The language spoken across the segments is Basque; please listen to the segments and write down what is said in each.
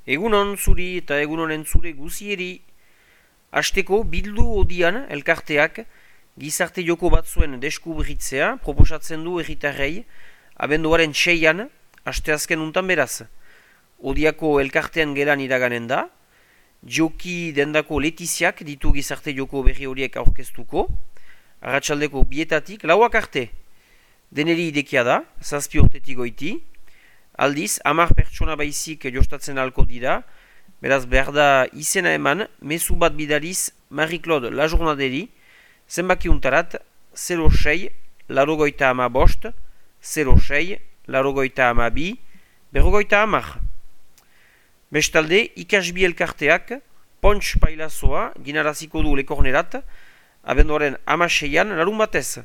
Egunon zuri eta egunonen zure guzieri. Hasteko bildu odian elkarteak gizarte joko batzuen deskubritzea proposatzen du herritarrei abenduaren 6an, asteazken untan beraz. Odiako elkartean gelan iraganen da, joki dendako letiziak ditu gizarte joko berri horiek aurkeztuko, arratsaldeko 2 lauak arte. Deneri idekia da, 7 urtetik goiti, aldiz, 10 pertsona baizik jostatzen alko dira, beraz behar da izena eman, mezu bat bidaliz Marie-Claude Lajournaderi, zenbaki untarat 06 larogoita ama bost, 06 larogoita ama bi, berrogoita amar. Bestalde, ikasbi elkarteak, Pontx Pailazoa ginaraziko du lekornerat, abenduaren 16an larun batez.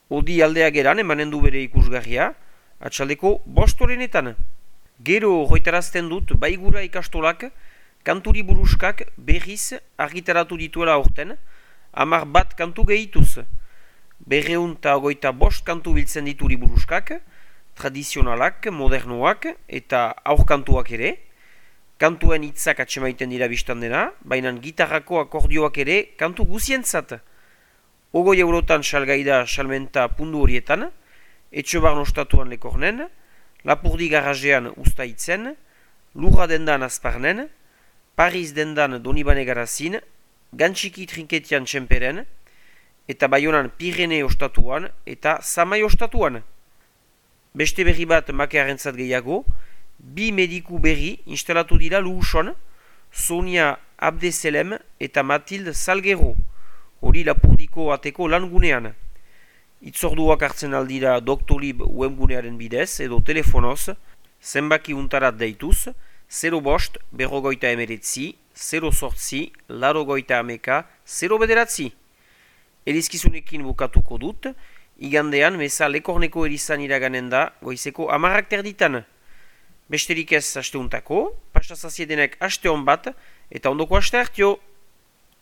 Odi aldea geran emanen du bere ikusgarria, atxaldeko 5 Gero hoitarazten dut baigura ikastolak kanturi buruskak berriz argitaratu dituela aurten, 11 kantu gehituz. 225 kantu biltzen dituri buruskak, tradizionalak, modernoak eta aurkantuak ere. Kantuen hitzak atsemaiten dira biztan dena, baina gitarrako akordioak ere kantu guzientzat. 20 eurotan salgaida salmenta pundu horietan, Etxobarno ostatuan lekornen, Lapurdi garajean ustaitzen, Lurra dendan azparnen, Paris dendan Donibane garazin, Gantxiki trinketian txemperen, eta Baionan Pirene ostatuan eta Samai ostatuan. Beste berri bat makearentzat gehiago, 2 mediku berri instalatu dira Luhuson, Sonia Abdeselem eta Matilde Salguero, hori Lapurdiko ateko langunean. Itzorduak hartzen aldira Doctolib webgunearen bidez edo telefonoz, zenbaki untarat deituz, 05 berrogoita emeretzi, 08 larogoita ameka, 0 bederatzi. Elizkizunekin bukatuko dut, igandean meza lekorneko erizan iraganen da goizeko 10 Besterik ez asteuntako, pastazaziedenek aste hon bat eta ondoko aste hartio.